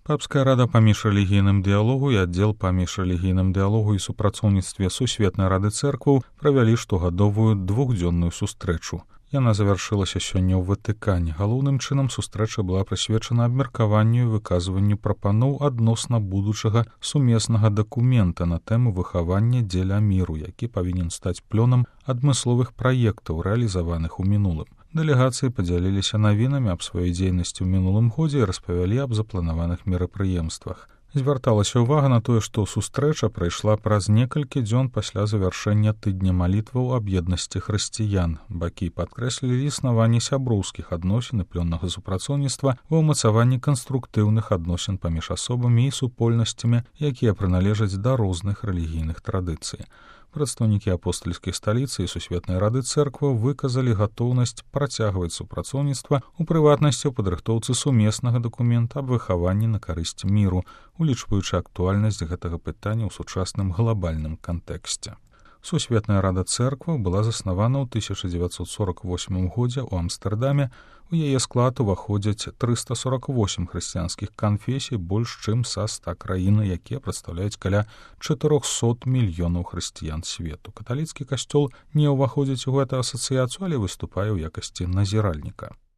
Папская рада паміж рэлігійным дыялогу і аддзел паміж рэлігійным дыялогу і супрацоўніцтве Сусветнай рады цэркваў правялі штогадовую двухдзённую сустрэчу. Яна завяршылася сёння ў Ватыкане. Галоўным чынам сустрэча была прысвечана абмеркаванню і выказванню прапаноў адносна будучага сумеснага дакумента на тэму выхавання дзеля міру, які павінен стаць плёнам адмысловых праектаў, рэалізаваных у мінулым. Дэлегацыі падзяліліся навінамі аб сваёй дзейнасці ў мінулым годзе і распавялі аб запланаваных мерапрыемствах. Звярталася ўвага на тое, што сустрэча прайшла праз некалькі дзён пасля завяршэння тыдня малітваў аб еднасці хрысціян. Бакі падкрэслілі існаванне сяброўскіх адносін і плённага супрацоўніцтва ва ўмацаванні канструктыўных адносін паміж асобамі і супольнасцямі, якія прыналежаць да розных рэлігійных традыцый. Прадстаўнікі апостальскай сталіцы і Сусветнай рады цэркваў выказалі гатоўнасць працягваць супрацоўніцтва, у прыватнасці ў падрыхтоўцы сумеснага дакумента аб выхаванні на карысць міру, улічваючы актуальнасць гэтага пытання ў сучасным глабальным кантэксце. Сусветная рада цэркваў была заснавана ў 1948 годзе ў Амстэрдаме. У яе склад уваходзяць 348 хрысціянскіх канфесій, больш чым са 100 краін, якія прадстаўляюць каля 400 мільёнаў хрысціян свету. Каталіцкі касцёл не ўваходзіць у гэту асацыяцыю, але выступае ў якасці назіральніка.